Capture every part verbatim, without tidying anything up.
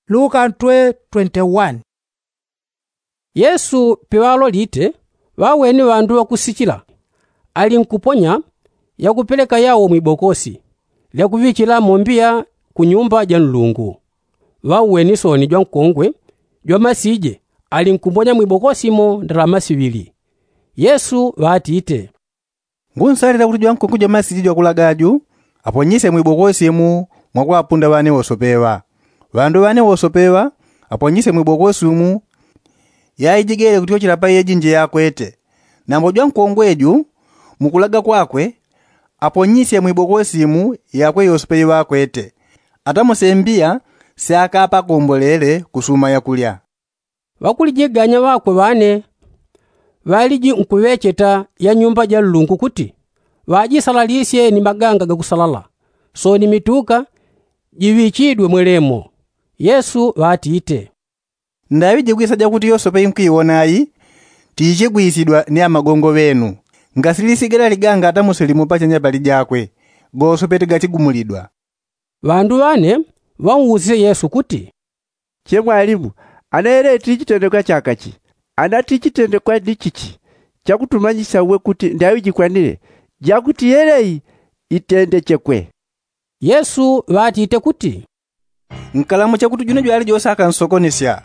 Luka ntwe twenty-one. Yesu piŵalolite, ŵaweni ŵandu ŵakusichila, ali nkuponya, yakupeleka yawo mwibokosi, lyakuŵichilamo mbiya ku nyumba ja nlungu. Ŵaweni soni jwankongwe jwamasije, ali nkuponya mwibokosi mo ndalama siŵili. Yesu ŵatite, ngunsalila kuti jwankongwe jwamasije jwakulaga ju, aponyisye mwibokosi mu mwakwapunda ŵane wosope ŵa. Ŵandu ŵane wosope ŵa, aponyisye mwibokosi mu yaijigele kutyochela pa yejinje yakwete. Nambo jwankongwe ju, mukulaga kwakwe, aponyisye mwibokosi mu yakwe yosope iŵakwete. Atamuse mbiya syakapakombolele kusuma yakulya. Ŵakulijiganya ŵakwe ŵane ŵaliji nkuŵecheta ya nyumba ja nlungu kuti, ŵajisalalisye ni maganga gakusalala, soni mituka jiŵichidwe mwelemo. Yesu ŵatite, ndaŵi jikwisaja kuti yosope inkwiwona ayi, tiichigwisidwa ni amagongo ŵenu. Ngasilisigala liganga atamuse limo pachanya pali jakwe, gosope tigachigumulidwa. Ŵandu ŵane ŵausisye yesu kuti, che mwalimu, ana yelei tiichitendekwa chakachi? Ana tiichitendekwa ni chichi chakutumanyisya uwe kuti ndaŵi jikwanile jakuti yelei itendechekwe? Yesu ŵatite kuti, nkalamucha kuti june jwali jose akansokonesya.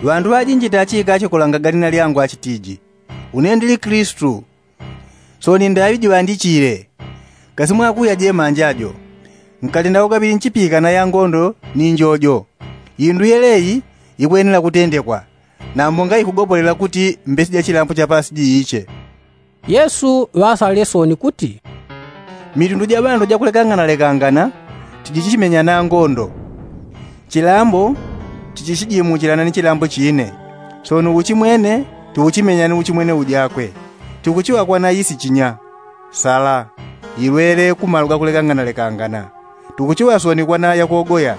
Ŵandu ŵajinji tachiikache kulangagani na lyangu achitiji, une ndili kilisitu. Soni ndaŵi jiŵandichile. Kasi mwakuya jemanja jo, nkalenda ugaŵili nchipikana ya ngondo ni njojo. Indu yelei ikwenela kutendekwa, nambo ngaikugopolela kuti mbesi ja chilambo chapasi jiiche. Yesu ŵasalile soni kuti, mitundu ja ŵandu jakulekangana lekangana tijichimenyana ngondo. Chilambo tichichijimuchilana ni chilambo chine. Soni uchimwene tiuchimenyana ni uchimwene ujakwe. Tikuchiŵa kwana isi chinya, sala, ilwele kumalu gakulekangana lekangana. Tikuchiŵa soni kwana yakogoya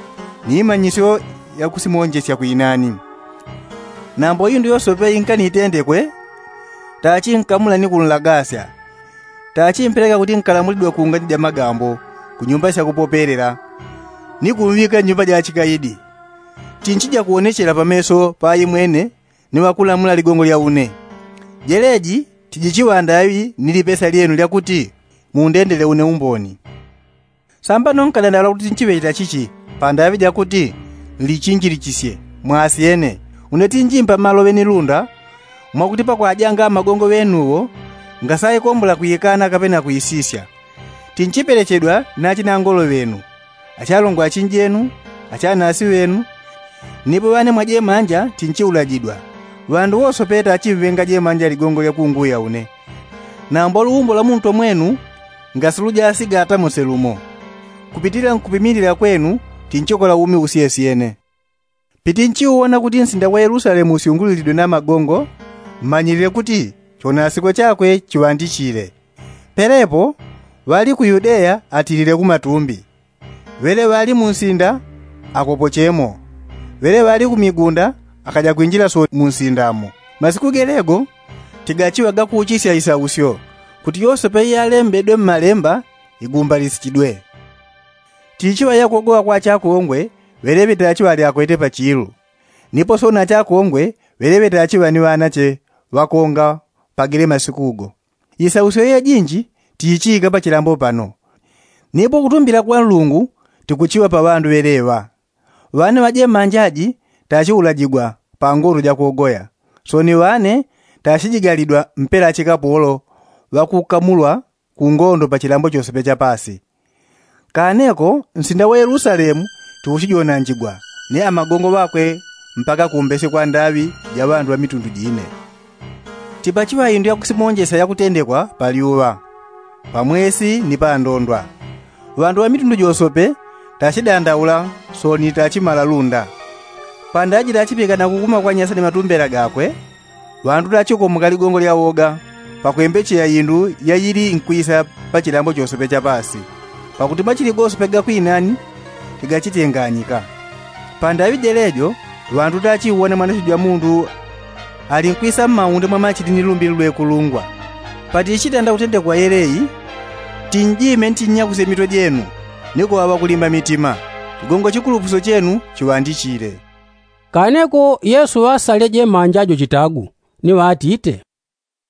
ni imanyisyo yakusimonjesya kwinani. Nambo indu yosope inkanitendekwe, tachinkamula ni kunlagasya. Tachimpeleka kuti nkalamulidwe kungani ja magambo, ku nyumba syakupopelela, ni kumŵika nyumba ja chikaidi. Tinchija kuwonechela pameso pa aimwene ni ŵakulamula ligongo lya une. Jeleji tijichiŵa ndaŵi ni lipesa lyenu lyakuti mundendele une umboni. Sambano nkadandaŵula kuti nchiŵecheta chichi, pandaŵi jakuti nlichinjilichisye, mwasyene. Une tinjimpa maloŵe ni lunda, mwakuti pakwajanga amagongo ŵenuwo, ngasaikombola kwikana kapena kwisisya. Tinchipelechedwa ni achinangolo ŵenu, achalongo achinjenu, achanasi ŵenu. Nipo ŵane mwajemanja tinchiulajidwa. Ŵandu wosope tachimŵenga jemanja ligongo lyakunguya une. Nambo luumbo lwa muntwe mwenu ngasilujasiga atamuse lumo. Kupitila nkupimilila kwenu tinchikola umi usyesyene. Pitinchiuwona kuti nsinda wa yelusalemu usyungulilidwe na magongo, mmanyilile kuti chonasikwe chakwe chiŵandichile. Pelepo ŵali ku yudeya atilile kumatumbi. Ŵele ŵali munsinda akopochemo. Ŵele ŵali kumigunda akaja kwinjila so munsindamo. Masiku gelego tigachiŵa gakuuchisya isausyo, kuti yosope iyalembedwe mmalemba igumbalisidwe. Tichiŵa yakuogoŵa kwa achakongwe ŵeleŵe tachiŵa ali akwete pachilu. Nipo soni achakongwe ŵeleŵe tachiŵa ni ŵanache ŵakonga pagele masikugo. Isausyo yejinji tiichiika pachilambo pano. Nipo kutumbila kwa nlungu tikuchiŵa pa ŵandu ŵeleŵa. Ŵana ŵajemanjaji tachiulajigwa pa ngondo jakuogoya. Soni ŵane tachijigalidwa mpela achikapolo ŵakukamulwa ku ngondo pa chilambo chosepe chapasi. Kaneko nsinda wa yelusalemu tiuchijonanjigwa ni amagongo ŵakwe mpaka kumbese kwa ndaŵi ja ŵandu ŵa mitundu jine. Tipachiŵa indu yakusimonjesya yakutendekwa pa lyuŵa, pa mwesi ni pa ndondwa. Ŵandu ŵa mitundu josope tachidandaula soni tachimala lunda. Pandaji tachipikana kukuma kwa nyasa ni matumbela gakwe, ŵandu tachikomoka ligongo lya woga pakwembecheya indu yayili nkwisa pa chilambo chosepe chapasi. Pakuti machili gosope gakwinani tigachitenganyika. Pandaŵi jelejo ŵandu tachiuwona mwanasyo jwa mundu ali nkwisa mmaunde mwa machili ni lumbili lwekulungwa. Patichitanda kutendekwa yelei, tinjime ntinyakusye mitwe jenu ni kuŵaŵa kulimba mitima. Chigongo chikulupusyo chenu chiŵandichile. Kaneko yesu ŵasaleje manja jo chitagu, ni ŵatite,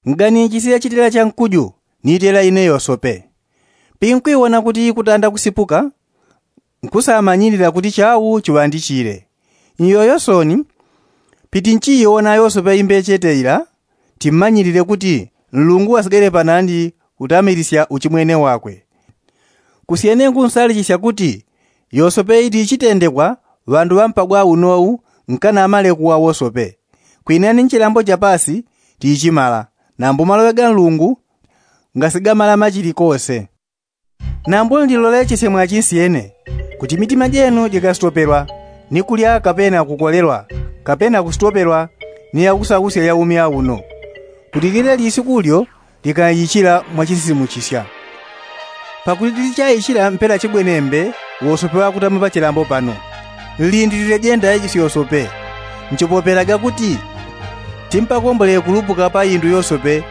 nganinchisile chitela cha nkuju, ni itela ine yosope. Pinkwiwona kuti ikutanda kusipuka, nkusamanyilila kuti chau chiŵandichile. Nyoyo soni, pitinchiiwona yosope imbechete ila, timmanyilile kuti nlungu wasigele panandi, utamilisya uchimwene wakwe. Kusyene nkunsalichisya kuti yosope itichitendekwa ŵandu ŵampagwa unou, nkanamale kuwa wosope. Kwinani nchilambo chapasi tichimala, nambu maloŵe ga nlungu ngasigamala machili kose. Nambu nlilolechesye mwachinsyene, kuti mitima jenu jikasitopelwa ni kulya kapena kukolelwa, kapena kusitopelwa ni yakusakusya ya umi auno, kuti lile lisiku lyo likaichila mwachinsisimuchisya. Pakuti tichaichila mpela chibwenembe wosope wakutama pachilambo pano. Nlindilile jenda ichi syosope, nchipopelaga kuti timpakombole kulupuka pa indu yosope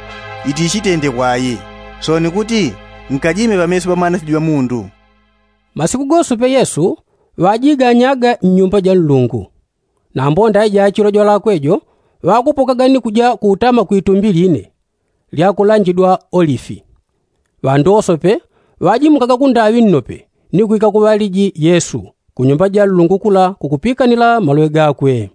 itichitendekwa ayi, soni kuti nkajime pameso pa mwanasiji wa mundu. Masiku gosope yesu ŵajiganyaga nnyumba ja nlungu. Nambo ndaija chilo jwalakwe jo ŵakupokaga ni kuja kutama kwitumbi line lyakulanjidwa olifi. Ŵandu wosope ŵajimukaga kundaŵi nnope ni kwika kuŵaliji yesu kunyumba ja nlungu kula kukupikanila maloŵe gakwe.